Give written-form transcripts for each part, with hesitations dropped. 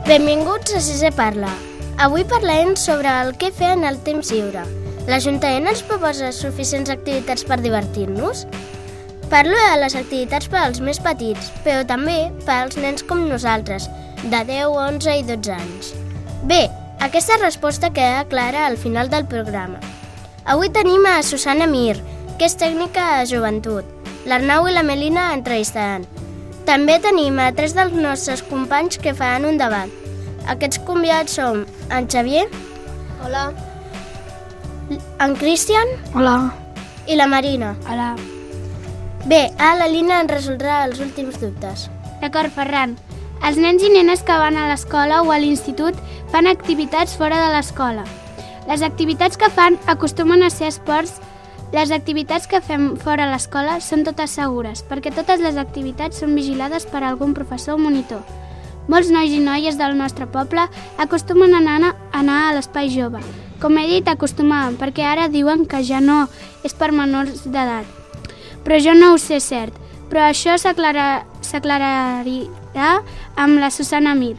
Benvinguts a Sisè Parla. Avui parlarem sobre el què fer en el temps lliure. L'Ajuntament ens proposa suficients activitats per divertir-nos? Parlo de les activitats per als més petits, però també per als nens com nosaltres, de 10, 11 i 12 anys. Bé, aquesta resposta queda clara al final del programa. Avui tenim a Susana Mir, que és tècnica de joventut. L'Arnau i la Melina entrevistaran. També tenim a 3 dels nostres companys que faran un debat. Aquests convidats són en Xavier. Hola. En Cristian. Hola. I la Marina. Hola. Bé, ara la Lina ens resoldrà els últims dubtes. D'acord, Ferran. Els nens i nenes que van a l'escola o a l'institut fan activitats fora de l'escola. Les activitats que fan acostumen a ser esports. Les activitats que fem fora a l'escola són totes segures, perquè totes les activitats són vigilades per algun professor o monitor. Molts nois i noies del nostre poble acostumen a anar a l'espai jove. Com he dit, acostumaven, perquè ara diuen que ja no és per menors d'edat. Però jo no ho sé cert, però això s'aclarirà amb la Susana Mir.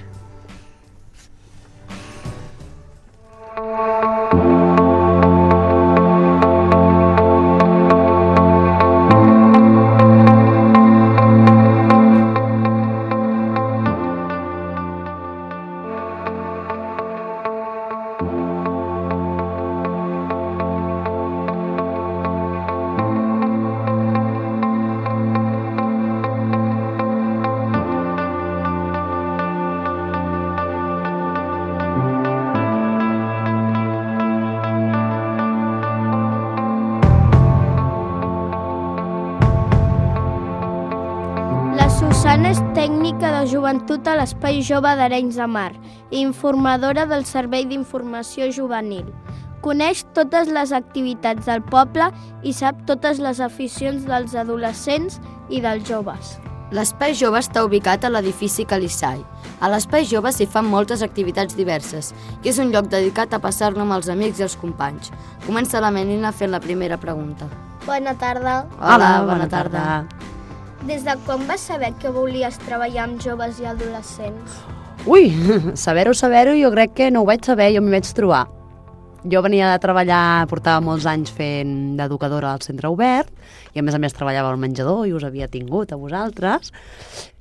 Susana és tècnica de joventut a l'Espai Jove d'Arenys de Mar i informadora del Servei d'Informació Juvenil. Coneix totes les activitats del poble i sap totes les aficions dels adolescents i dels joves. L'Espai Jove està ubicat a l'edifici Calissai. A l'Espai Jove s'hi fan moltes activitats diverses i és un lloc dedicat a passar-lo amb els amics i els companys. Comença la Melina fent la primera pregunta. Bona tarda. Hola, bona tarda. Des de quan vas saber que volies treballar amb joves i adolescents? Ui, saber-ho, jo crec que no ho vaig saber, jo m'hi vaig trobar. Jo venia de treballar, portava molts anys fent d'educadora al centre obert i a més treballava al menjador i us havia tingut a vosaltres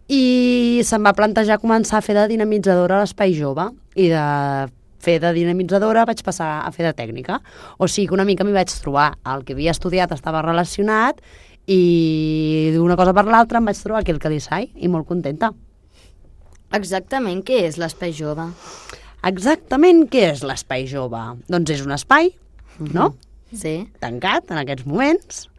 i se'm va plantejar començar a fer de dinamitzadora a l'Espai Jove i de fer de dinamitzadora vaig passar a fer de tècnica. O sigui que una mica m'hi vaig trobar. El que havia estudiat estava relacionat i d'una cosa per l'altra em vaig trobar aquí al Calissai i molt contenta. Exactament què és l'Espai Jove? Exactament què és l'Espai Jove? Doncs és un espai, no? Sí. Tancat en aquests moments,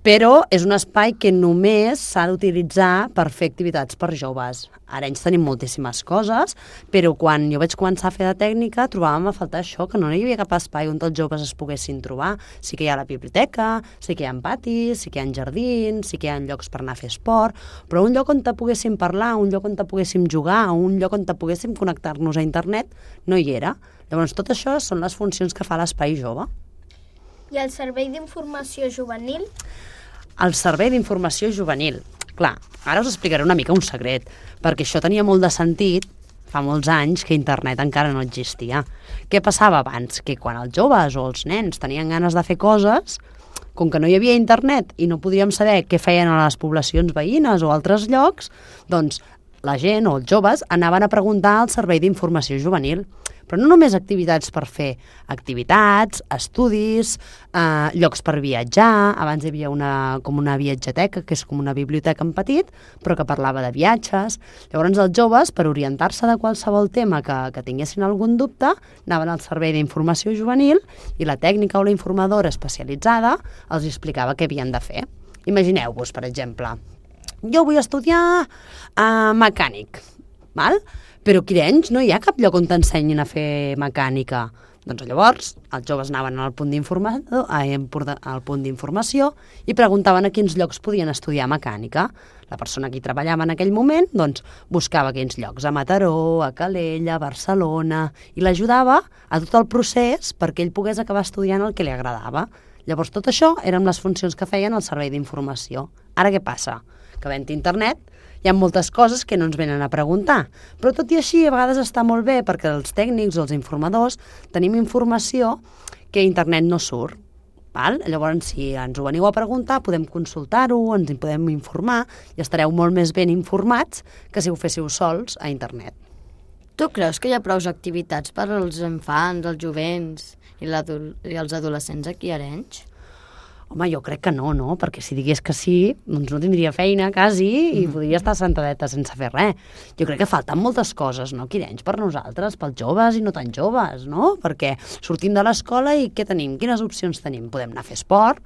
però és un espai que només s'ha d'utilitzar per fer activitats per joves. A Arenys tenim moltíssimes coses, però quan jo vaig començar a fer de tècnica trobàvem a faltar això, que no hi havia cap espai on els joves es poguessin trobar. Sí que hi ha la biblioteca, sí que hi ha patis, sí que hi ha jardins, sí que hi ha llocs per anar a fer esport, però un lloc on te poguéssim parlar, un lloc on te poguéssim jugar, un lloc on te poguéssim connectar-nos a internet, no hi era. Llavors tot això són les funcions que fa l'Espai Jove. I el Servei d'Informació Juvenil? El Servei d'Informació Juvenil. Clar, ara us explicaré una mica un secret, perquè això tenia molt de sentit fa molts anys que internet encara no existia. Què passava abans? Que quan els joves o els nens tenien ganes de fer coses, com que no hi havia internet i no podíem saber què feien a les poblacions veïnes o altres llocs, doncs la gent o els joves anaven a preguntar al Servei d'Informació Juvenil. Però no només activitats per fer activitats, estudis, llocs per viatjar. Abans hi havia com una viatgeteca, que és com una biblioteca en petit, però que parlava de viatges. Llavors els joves, per orientar-se de qualsevol tema que tinguessin algun dubte, anaven al Servei d'Informació Juvenil i la tècnica o la informadora especialitzada els explicava què havien de fer. Imagineu-vos, per exemple, jo vull estudiar mecànic, val? Però aquí d'Arenys no hi ha cap lloc on t'ensenyin a fer mecànica. Doncs llavors els joves anaven al punt d'informació i preguntaven a quins llocs podien estudiar mecànica. La persona que hi treballava en aquell moment doncs, buscava aquells llocs a Mataró, a Calella, a Barcelona i l'ajudava a tot el procés perquè ell pogués acabar estudiant el que li agradava. Llavors tot això eren les funcions que feien al Servei d'Informació. Ara què passa? Que havent internet hi ha moltes coses que no ens venen a preguntar. Però tot i així, a vegades està molt bé perquè els tècnics o els informadors tenim informació que a internet no surt. Val? Llavors, si ens ho veniu a preguntar, podem consultar-ho, ens hi podem informar i estareu molt més ben informats que si ho féssiu sols a internet. Tu creus que hi ha prou activitats per als infants, els jovents i els adolescents aquí a Arenys? Home, jo crec que no, no? Perquè si digués que sí, doncs no tindria feina, quasi, i podria estar sentadeta sense fer res. Jo crec que falten moltes coses, no, aquí Arenys, per nosaltres, pels joves i no tan joves, no? Perquè sortim de l'escola i què tenim? Quines opcions tenim? Podem anar a fer esport,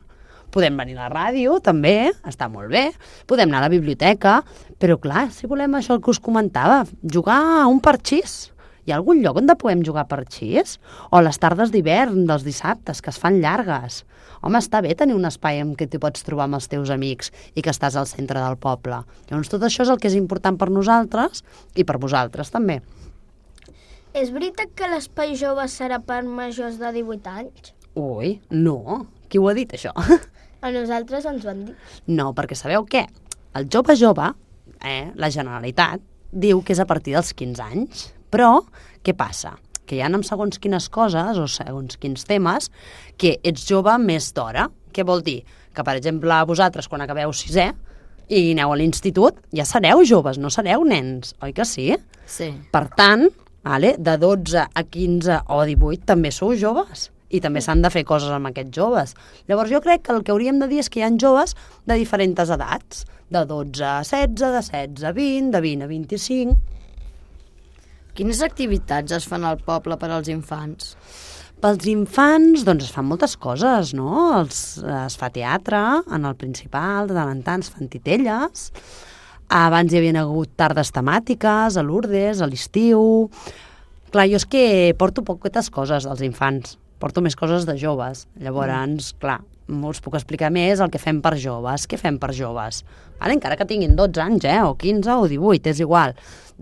podem venir a la ràdio, també, està molt bé, podem anar a la biblioteca, però clar, si volem això el que us comentava, jugar a un parxís. Hi ha algun lloc on podem jugar a parxís? O les tardes d'hivern, dels dissabtes, que es fan llargues. Home, està bé tenir un espai en què t'hi pots trobar amb els teus amics i que estàs al centre del poble. Llavors, tot això és el que és important per nosaltres i per vosaltres, també. És veritat que l'espai jove serà per majors de 18 anys? Ui, no. Qui ho ha dit, això? A nosaltres ens ho han dit. No, perquè sabeu què? El jove, la Generalitat, diu que és a partir dels 15 anys. Però, què passa? Que hi ha amb segons quines coses o segons quins temes que ets jove més d'hora. Què vol dir? Que, per exemple, vosaltres, quan acabeu 6è i aneu a l'institut, ja sereu joves, no sereu nens, oi que sí? Sí. Per tant, de 12 a 15 o 18 també sou joves i també s'han de fer coses amb aquests joves. Llavors jo crec que el que hauríem de dir és que hi ha joves de diferents edats, de 12 a 16, de 16 a 20, de 20 a 25... Quines activitats es fan al poble per als infants? Pels infants, doncs es fan moltes coses, no? Es fa teatre en el principal, de tant en tant es fan titelles. Abans hi havia hagut tardes temàtiques, a Lourdes, a l'estiu... Clar, jo és que porto poquetes coses dels infants, porto més coses de joves. Llavors, clar, us puc explicar més el que fem per joves. Què fem per joves? Encara que tinguin 12 anys, o 15 o 18, és igual.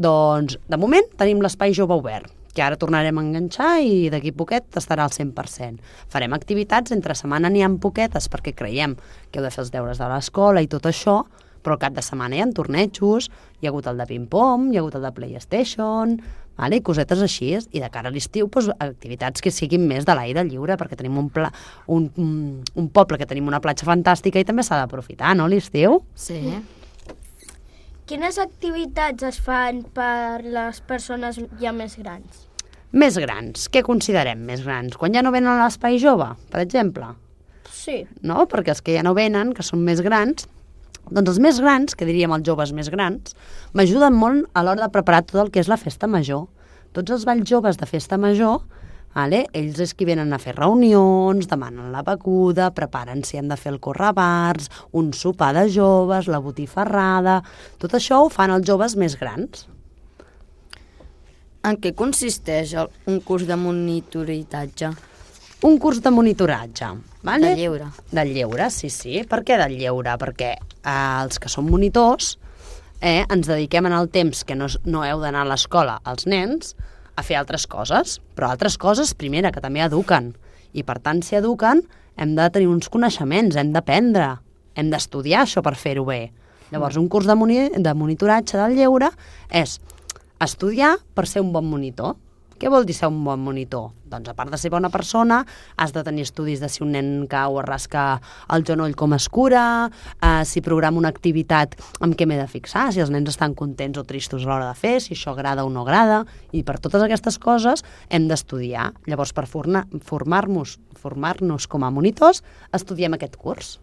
Doncs, de moment, tenim l'espai jove obert, que ara tornarem a enganxar i d'aquí poquet estarà al 100%. Farem activitats, entre setmana n'hi ha poquetes, perquè creiem que heu de fer els deures de l'escola i tot això, però al cap de setmana hi ha tornejos, hi ha hagut el de ping-pong, hi ha hagut el de PlayStation, i cosetes així, i de cara a l'estiu, activitats que siguin més de l'aire lliure, perquè tenim un poble que tenim una platja fantàstica i també s'ha d'aprofitar, no, l'estiu? Sí. Quines activitats es fan per les persones ja més grans? Més grans. Què considerem més grans? Quan ja no venen a l'espai jove, per exemple? Sí. No? Perquè els que ja no venen, que són més grans, doncs els més grans, que diríem els joves més grans, m'ajuden molt a l'hora de preparar tot el que és la festa major. Tots els balls joves de festa major, ells és qui venen a fer reunions, demanen la beguda, preparen si han de fer el correbars, un sopar de joves, la botifarrada... Tot això ho fan els joves més grans. En què consisteix un curs de monitoratge? Un curs de monitoratge. De lleure. Del lleure, sí. Per què del lleure? Perquè els que som monitors ens dediquem en el temps que no heu d'anar a l'escola als nens a fer altres coses, però altres coses, primera, que també eduquen. I per tant, si eduquen, hem de tenir uns coneixements, hem d'aprendre, hem d'estudiar això per fer-ho bé. Llavors, un curs de monitoratge del lleure és estudiar per ser un bon monitor. Què vol dir ser un bon monitor? Doncs a part de ser bona persona, has de tenir estudis de si un nen cau o rasca el genoll com es cura, si programa una activitat amb què m'he de fixar, si els nens estan contents o tristos a l'hora de fer, si això agrada o no agrada, i per totes aquestes coses hem d'estudiar. Llavors, per formar-nos com a monitors, estudiem aquest curs.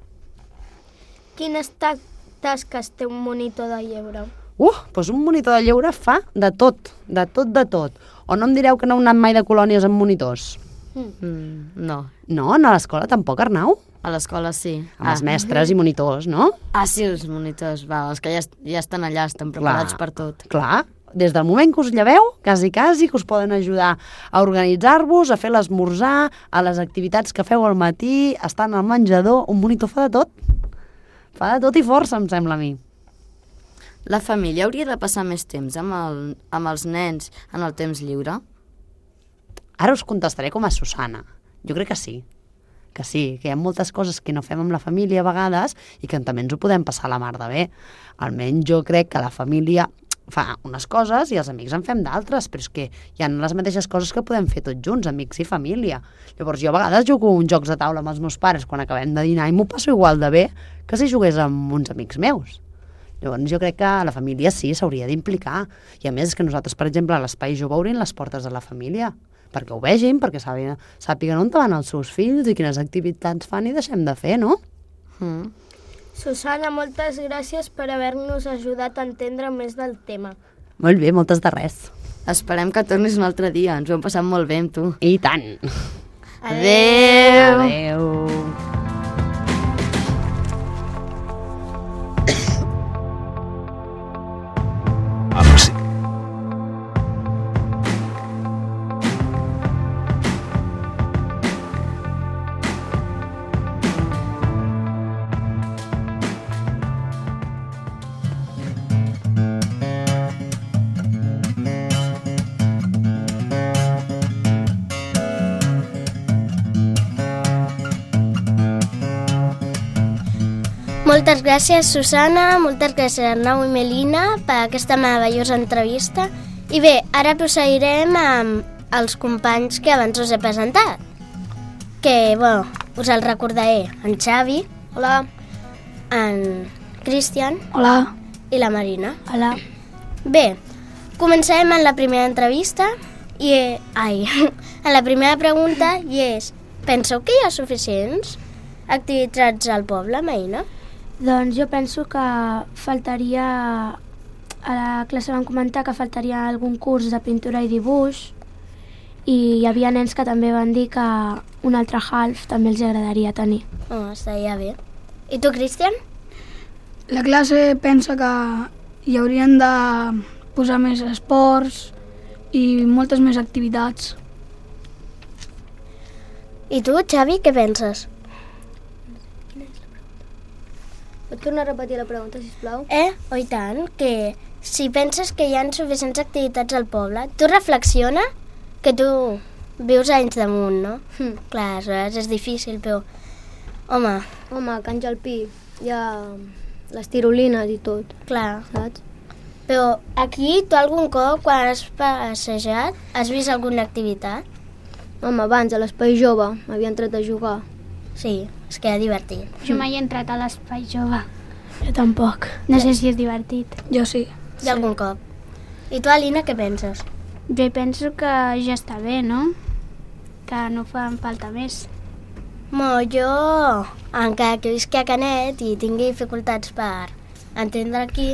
Quines tasques té un monitor de lleure? Doncs un monitor de lleure fa de tot. O no em direu que no heu anat mai de colònies amb monitors? No. No? A l'escola tampoc, Arnau? A l'escola sí. Amb els mestres i monitors, no? Sí, els monitors, els que ja estan allà, estan preparats per tot. Clar, des del moment que us lleveu, quasi que us poden ajudar a organitzar-vos, a fer l'esmorzar, a les activitats que feu al matí, estan al menjador, un monitor fa de tot. Fa de tot i força, em sembla a mi. La família hauria de passar més temps amb els nens en el temps lliure? Ara us contestaré com a Susana. Jo crec que sí. que sí, que hi ha moltes coses que no fem amb la família a vegades i que també ens ho podem passar a la mar de bé. Almenys jo crec que la família fa unes coses i els amics en fem d'altres, però és que hi ha les mateixes coses que podem fer tots junts, amics i família. Llavors jo a vegades jugo uns jocs de taula amb els meus pares quan acabem de dinar i m'ho passo igual de bé que si jugués amb uns amics meus. Llavors jo crec que la família sí s'hauria d'implicar. I a més és que nosaltres, per exemple, a l'Espai Jove obrim les portes de la família, perquè ho vegin, perquè sàpiguen on van els seus fills i quines activitats fan i deixem de fer, no? Susana, moltes gràcies per haver-nos ajudat a entendre més del tema. Molt bé, moltes de res. Esperem que tornis un altre dia, ens ho hem passat molt bé amb tu. I tant! Adéu! Adéu! Moltes gràcies, Susana, moltes gràcies, Arnau i Melina, per aquesta meravellosa entrevista. I bé, ara procedirem amb els companys que abans us he presentat. Que, bueno, us el recordaré. En Xavi. Hola. En Cristian. Hola. I la Marina. Hola. Bé, començarem amb la primera entrevista en la primera pregunta i és: penseu que hi ha suficients activitats al poble, Marina? Doncs jo penso que faltaria... A la classe vam comentar que faltaria algun curs de pintura i dibuix i hi havia nens que també van dir que un altre half també els agradaria tenir. Oh, estaria bé. I tu, Cristian? La classe pensa que hi haurien de posar més esports i moltes més activitats. I tu, Xavi, què penses? Pots tornar a repetir la pregunta, sisplau? Oh, i tant, que si penses que hi ha suficients activitats al poble, tu reflexiona que tu vius anys damunt, no? Clar, aleshores és difícil, però... Home, Home, Can Jalpí, hi ha les tirolines i tot, clar. saps? Però aquí, tu algun cop, quan has passejat, has vist alguna activitat? Home, abans a l'Espai Jove m'havia entrat a jugar. Sí, és que era divertit. Jo mai he entrat a l'espai jove. Jo tampoc. No sé si és divertit. Jo sí. I algun cop. I tu, Alina, què penses? Jo penso que ja està bé, no? Que no fan falta més. Jo, encara que visqui a Canet i tingui dificultats per entendre aquí,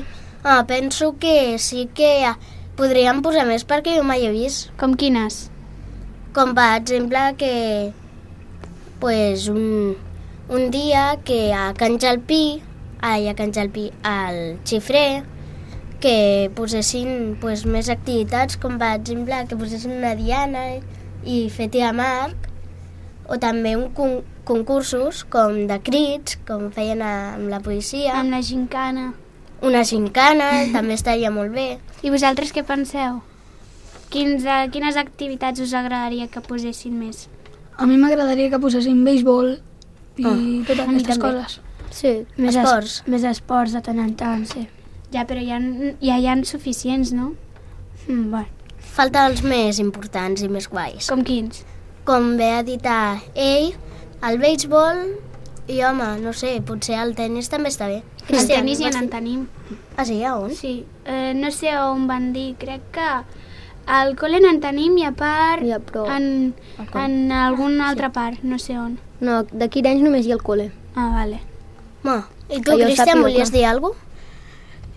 penso que sí que podríem posar més perquè jo mai he vist. Com quines? Com per exemple que pues, un dia que a Can Jalpí, al Xifrer, que posessin pues, més activitats, com per exemple que posessin una diana i fer tir amb arc, o també concursos com de crits, com feien amb la policia. Amb la gincana. Una gincana, també estaria molt bé. I vosaltres què penseu? Quines activitats us agradaria que posessin més? A mi m'agradaria que posessin béisbol i totes aquestes també. coses. Sí, Esports. Més esports de tant en tant, sí. Ja, però ja hi ha suficients, no? Bueno. Falten els més importants i més guais. Com quins? Com bé ha dit ell, el béisbol i, home, no sé, potser el tennis també està bé. El tenis ja en tenim. Ah, sí? A on? Sí, no sé on van dir, crec que al col·le en tenim i a part Ja, però... en alguna altra part, no sé on. No, d'aquí d'anys només hi ha el col·le. Ah, vale. I tu, Que jo Cristian, sàpiga, volies clar. dir alguna cosa?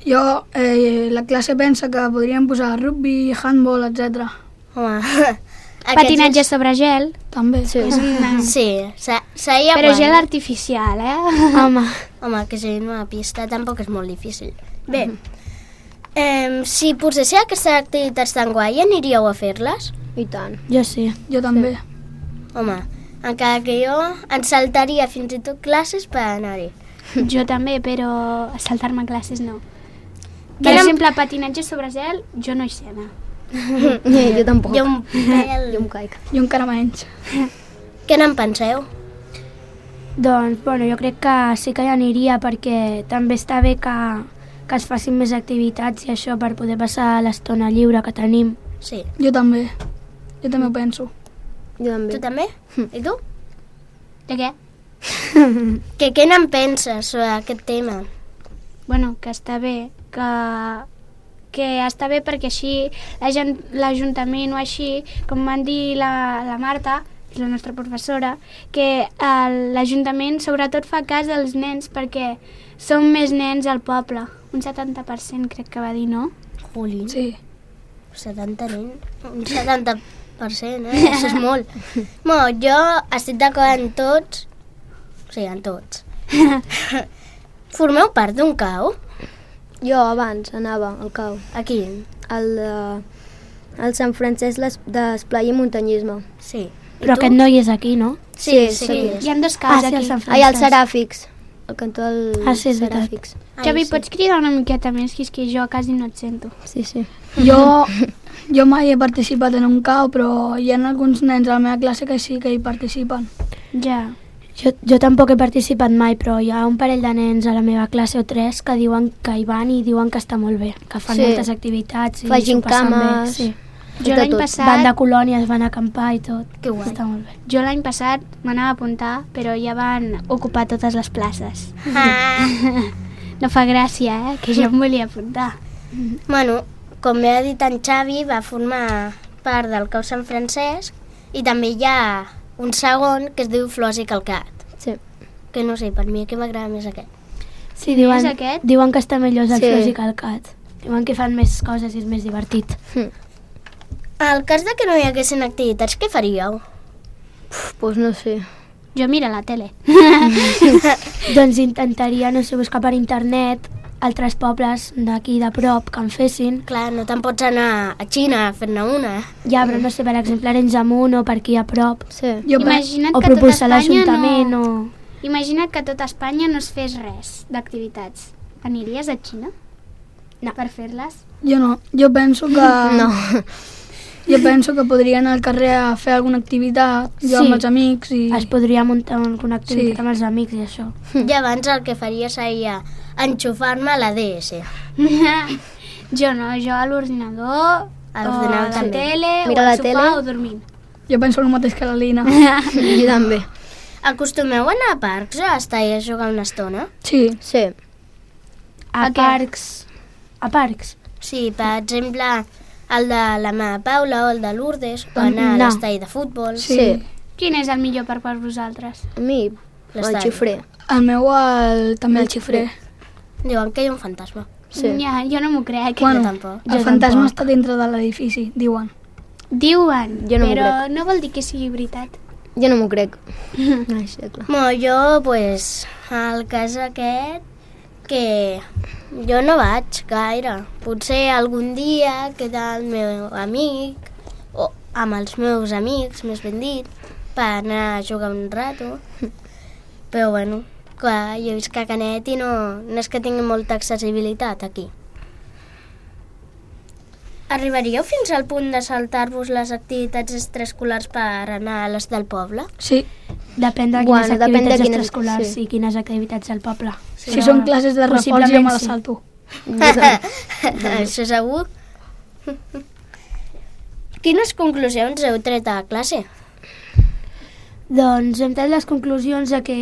Jo, la classe pensa que podríem posar rugby, handball, etc. Home, Patinatge sobre gel, També. Sí. és una... Sí, seria però guai. gel artificial, Home, que sigui una pista tampoc és molt difícil. Bé, si posessin aquestes activitats tan guai, aniríeu a fer-les? I tant. Jo sí. Jo també. Home, encara que jo em saltaria fins i tot classes per anar-hi. Jo també, però saltar-me classes no. Per exemple, patinatge sobre gel, jo no hi sé anar. Jo tampoc. Jo un pèl... Jo em caic. Jo encara menys. Què n'en penseu? Doncs, bueno, jo crec que sí que hi aniria perquè també està bé que es facin més activitats i això per poder passar l'estona lliure que tenim. Sí. Jo també ho penso. Jo també. Tu també? I tu? De què? Què n'en penses sobre aquest tema? Bueno, que està bé, que està bé perquè així l'Ajuntament o així, com van dir la Marta, que és la nostra professora, que l'Ajuntament sobretot fa cas dels nens perquè són més nens al poble. Un 70% crec que va dir, no? Jolín. Sí. 70 nens. Un 70%, Això és molt. Bueno, jo estic d'acord en tots. Sí, en tots. Formeu part d'un cau? Jo abans anava al cau. A quin? Al Sant Francesc d'Esplai i Muntanyisme. Sí. Però aquest no hi és aquí, no? Sí. Hi ha dos caus aquí. Ai, al Seràfics. El cantó del sí, és veritat. Seràfics. Xavi, pots cridar una miqueta més, que és que jo quasi no et sento. Sí. Jo mai he participat en un cau, però hi ha alguns nens a la meva classe que sí que hi participen. Ja. Jo tampoc he participat mai, però hi ha un parell de nens a la meva classe o 3 que diuen que hi van i diuen que està molt bé, que fan moltes activitats i Facin s'ho passen bé. cames. Sí. Jo l'any passat... Van de colònies, van a acampar i tot. Que guai. Està molt bé. Jo l'any passat m'anava a apuntar, però ja van ocupar totes les places. No fa gràcia, que jo em volia apuntar. Bueno, com ja ha dit en Xavi, va formar part del Cau Sant Francesc i també hi ha un segon que es diu Flors i Calcat. Sí. Que no sé, per mi que m'agrada més aquest. Sí, és aquest? diuen que està millor el Sí. Flors i Calcat. Diuen que fan més coses i és més divertit. En cas de que no hi haguessin activitats, què faríeu? Pues no sé. Jo miro la tele. Doncs intentaria, no sé, buscar per internet altres pobles d'aquí de prop que en fessin. Clar, no te'n pots anar a Xina a fer-ne una. Ja, però no sé, per exemple, Arenys de Munt o per aquí a prop. Sí. Imagina't O que tot propulsar Espanya l'Ajuntament no... o... Imagina't que tot Espanya no es fes res d'activitats. Aniries a Xina? No. Per fer-les? Jo no, jo penso que... No. Jo penso que podria anar al carrer a fer alguna activitat, jo amb els amics i... Es podria muntar alguna activitat Sí. amb els amics i això. I abans el que faria seria enxufar-me a la DS. Jo no, jo a l'ordinador, A l'ordinador o a la també. tele, Mira o la al sofà tele. o dormint. Jo penso el mateix que la Lina. Jo també. Acostumeu a anar a parcs o a estar a jugar una estona? Sí, Sí. A què? parcs. A parcs. Sí, per exemple, el de la meva Paula o el de Lourdes, o anar a No. l'estadi de futbol. Sí. Quin és el millor parc per vosaltres? A mi, el L'estadi. xifrer. el meu també el xifrer. Diuen que hi ha un fantasma. Sí. Ja, jo no m'ho crec. Jo tampoc. El fantasma està dintre de l'edifici, diuen. Diuen, Jo no m'ho però no vol dir que sigui veritat. Jo no m'ho crec. Ai, sí, clar. Bueno, jo, pues, al cas aquest, que jo no vaig gaire. Potser algun dia queda el meu amic, o amb els meus amics, més ben dit, per anar a jugar un rato. Però bueno, clar, jo visc a Canet i no és que tingui molta accessibilitat aquí. Arribaríeu fins al punt de saltar-vos les activitats extraescolars per anar a les del poble? Sí, Depèn de Bueno, quines depèn de activitats quines- extraescolars sí. i quines activitats del poble. si són classes de reforç jo possiblement me les sí. salto. Això segur. Quines conclusions heu tret a classe? Doncs hem tret les conclusions de que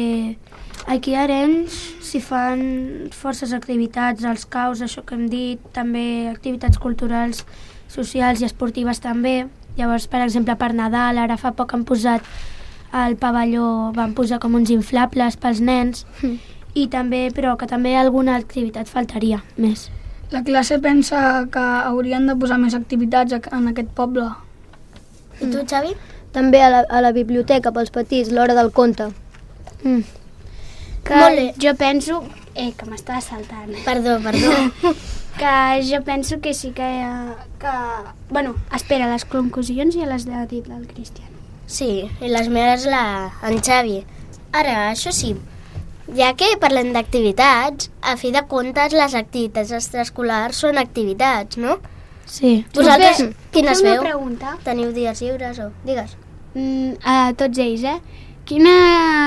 aquí a Arenys s'hi fan forces activitats, els caus, això que hem dit, també activitats culturals, socials i esportives també. Llavors, per exemple, per Nadal, ara fa poc han posat al pavelló, van posar com uns inflables pels nens, i també, però que també alguna activitat faltaria més. La classe pensa que haurien de posar més activitats en aquest poble. I tu, Xavi? També a la biblioteca pels petits, l'hora del conte. Que Molt bé. jo penso... que m'estava saltant. Perdó. Que jo penso que sí que... Bueno, espera, les conclusions ja les ha dit el Cristian. Sí, i les meves en Xavi. Ara, això sí, ja que parlem d'activitats, a fi de comptes les activitats extraescolars són activitats, no? Sí. Vosaltres, quines Fem una veu? pregunta Teniu dies lliures o... Digues. a tots ells, Quina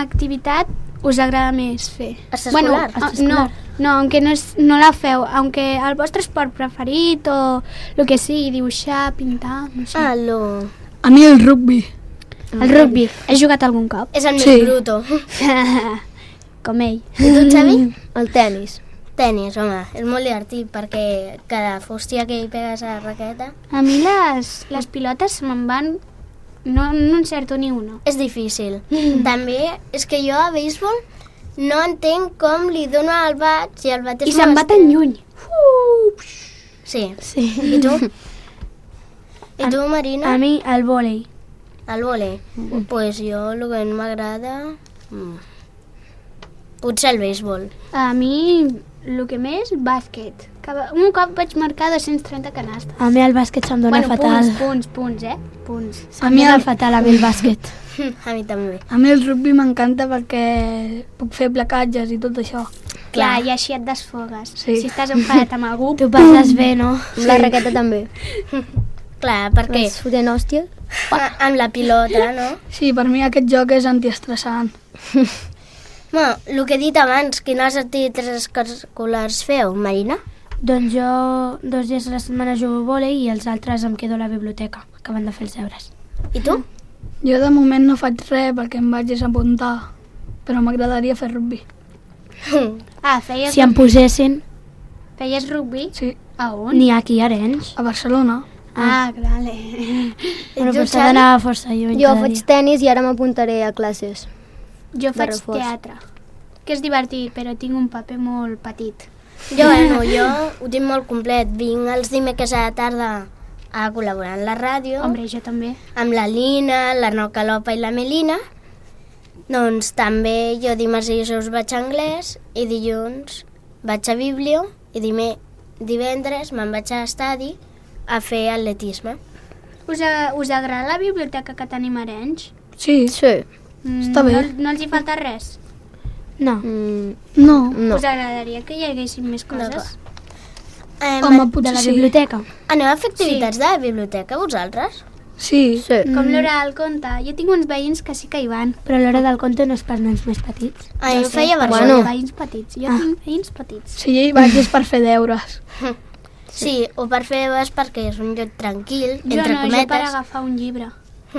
activitat us agrada més fer? Extraescolar. No, aunque no la feu, aunque el vostre esport preferit o el que sigui, dibuixar, pintar, no sé. A mi el rugby. El rugby, has jugat algun cop? És el més Sí. bruto. Com ell. I tu, Xavi? El tennis. Tenis, home, és molt divertit perquè cada fústia que hi pegues a la raqueta A mi les pilotes se'n van... No encerto ni una. és difícil. També és que jo a béisbol no entenc com li dono al bat i el bat és I se'n va tan lluny. Sí. Sí. I tu? I tu, Marina? A mi el vòlei. El vòlei? Pues jo el que no m'agrada... Potser el béisbol. A mi el que més, bàsquet. Un cop vaig marcar 230 canastes. A mi el bàsquet se'm dona fatal. Punts, Punts. Se'm dona fatal a mi el bàsquet. A mi també. A mi el rugby m'encanta perquè puc fer placatges i tot això. Clar, i així et desfogues. Sí. Si estàs enfadat amb algú... Tu passes bé, no? Amb la raqueta també. Clar, perquè Es fotent hòsties. amb la pilota, no? Sí, per mi aquest joc és antiestressant. Bueno, el que he dit abans, quines activitats escolars feu, Marina? Doncs jo 2 dies a la setmana jugo a vòlei i els altres em quedo a la biblioteca, acabant de fer els deures. I tu? Jo de moment no faig res perquè em vaig desapuntar, però m'agradaria fer rugby. Ah, feies Si em posessin, rugby? Sí, A on? n'hi ha aquí a Arenys. a Barcelona. Ah, vale. Però tu, potser Xavi? d'anar força lluny. Jo cada faig dia. tenis i ara m'apuntaré a classes. Jo faig reforç. teatre, que és divertit, però tinc un paper molt petit. Jo ho tinc molt complet. Vinc els dimecres a la tarda a col·laborar en la ràdio, Hombre, jo també. amb la Lina, l'Arnau Calopa i la Melina. Doncs també jo dimarts i dijous vaig a anglès i dilluns vaig a biblio i divendres me'n vaig a l'estadi a fer atletisme. Us agrada la biblioteca que tenim a Arenys? Sí, Sí. Està bé. No els hi falta res? No. no. No. Us agradaria que hi haguessin més coses? Home, De potser la sí. biblioteca. Aneu a fer activitats de la biblioteca, vosaltres? Sí, Sí. Com l'hora del conte. Jo tinc uns veïns que sí que hi van. Però l'hora del conte no és per nens més petits. Jo ho feia a Però Barcelona. són veïns petits. Jo tinc veïns petits. si jo hi vaig és per fer deures. Sí, o per fer deures perquè és un lloc tranquil, Jo entre no, jo per cometes. agafar un llibre.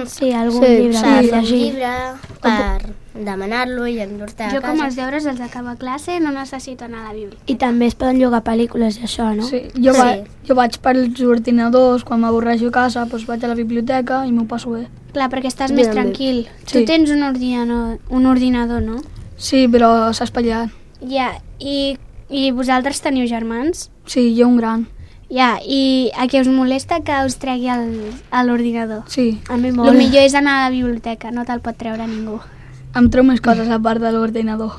Sí, algun Sí, llibre Per per fer un llegir. llibre, per demanar-lo i endur-te a Jo com casa. els deures els acabo a classe no necessito anar a la biblioteca. I també es poden llogar pel·lícules i això, no? Sí, Sí. jo vaig pels ordinadors, quan m'avorreixo a casa, doncs vaig a la biblioteca i m'ho passo bé. Clar, perquè estàs Jo més també. tranquil. Sí. Tu tens un ordinador, no? Sí, però s'ha espatllat. Ja, i vosaltres teniu germans? Sí, jo un gran. Ja, i a què us molesta que us tregui l'ordinador? Sí, A mi El molt. millor és anar a la biblioteca, no te'l pot treure ningú. em treu més coses a part de l'ordinador.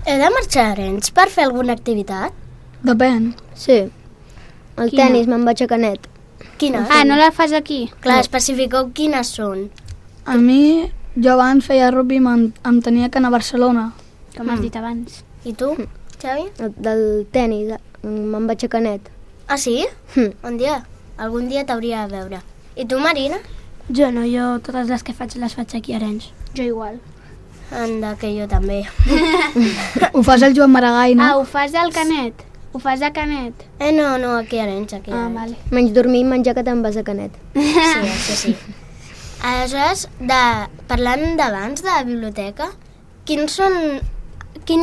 Heu de marxar a Arenys per fer alguna activitat? Depèn. Sí. El Quina? tenis me'n vaig a Canet. Quines? Ah, no la fas aquí? Clar, especifiqueu quines són. A mi, jo abans feia rugby i em tenia que anar a Barcelona. Com has dit abans. I tu, Xavi? Del tenis me'n vaig a Canet. Ah, sí? Un dia? Algun dia t'hauria de veure. I tu, Marina? Jo no, jo totes les que faig les faig aquí a Arenys. Jo igual. Anda, que jo també. Ho fas el Joan Maragall, no? Ah, ho fas al Canet? Ho fas a Canet? No, aquí a Arenys, aquí a Ah, Arenys. vale. Menys dormir i menjar que te'n vas a Canet. Sí, això sí. Aleshores, parlant d'abans de la biblioteca, quin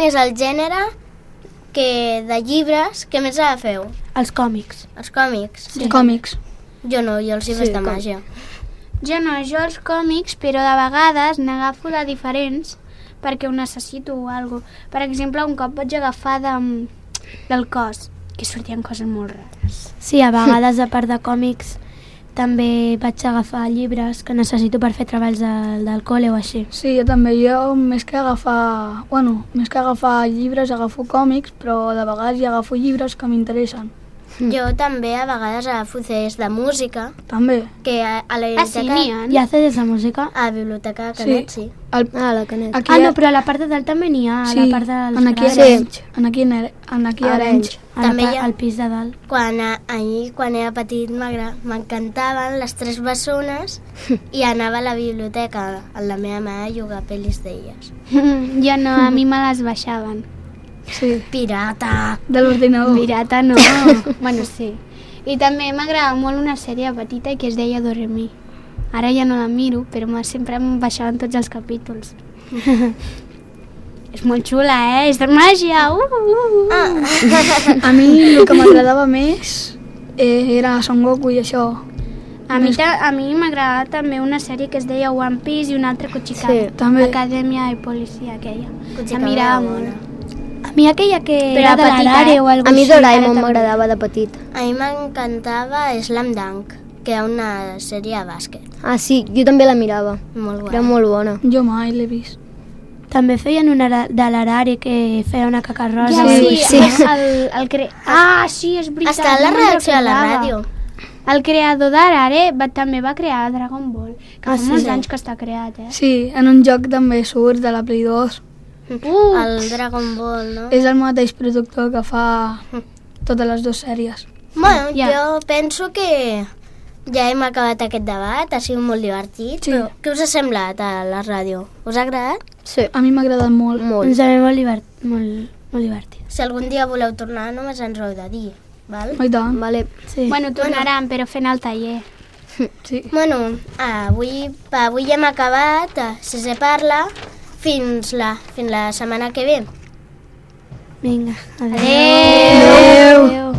és el gènere de llibres que més agafeu? Els còmics. Els còmics? Sí. Còmics. Jo no, jo els llibres Sí, de com- màgia. Jo no, jo els còmics, però de vegades n'agafo de diferents perquè ho necessito o alguna cosa. Per exemple, un cop vaig agafar del cos, que sortien coses molt rares. Sí, a vegades, a part de còmics, també vaig agafar llibres que necessito per fer treballs del col·le o així. Sí, jo també. Jo, més que agafar llibres, agafo còmics, però de vegades hi agafo llibres que m'interessen. Jo també a vegades agafo CDs de música, També. que a la Ah, sí, biblioteca... n'hi ha? Hi ha CDs de música? A la biblioteca de Canet, sí. La Canet. Aquí Ah, no, però a la part de dalt també n'hi ha, a la part dels en aquí a grans. Arenys. En aquí a Arenys. També hi ha- Al pis de dalt. Ahir, quan era petit, m'encantaven les 3 bessones i anava a la biblioteca amb la meva mare a jugar pel·lis d'elles. Jo no, a mi me les baixaven. Sí, Pirata! de l'ordinador. Pirata no. Bueno, sí. I també m'agradava molt una sèrie petita que es deia Doremi. Ara ja no la miro, però sempre em baixaven tots els capítols. És molt xula, És de màgia! A mi el que m'agradava més era Son Goku i això. A mi m'agradava també una sèrie que es deia One Piece i una altra Kuchikame. Sí, també. Acadèmia i Policia, aquella. Kuchikame La mirava era molt. bona. A mi aquella que Però era de petita, l'Arare o alguna A mi així, ara Doraemon també. m'agradava de petit. A mi m'encantava Slam Dunk, que era una sèrie de bàsquet. Ah, sí, jo també la mirava. Molt Era guai. molt bona. Jo mai l'he vist. També feien una de l'Arare que feia una caca rosa. Ja, o alguna sí, cosa. sí, és veritat. Està a la no me'n redacció de la recordava. ràdio. El creador d'Arare també va crear Dragon Ball, que fa molts anys que està creat, Sí, en un joc també surt de la Play 2. El Dragon Ball, no? És el mateix productor que fa totes les dues sèries. Bueno, Ja. jo penso que ja hem acabat aquest debat, ha sigut molt divertit, Sí. però què us ha semblat a la ràdio? Us ha agradat? Sí, A mi m'ha agradat molt. Ens ve molt divertit. Si algun dia voleu tornar, només ens ho heu de dir, val? I tant. vale. Sí. Bueno, tornaran, però fent el taller. Sí. Bueno, avui hem acabat, Sisè parla, fins la setmana que ve. Vinga, Adéu. Adéu.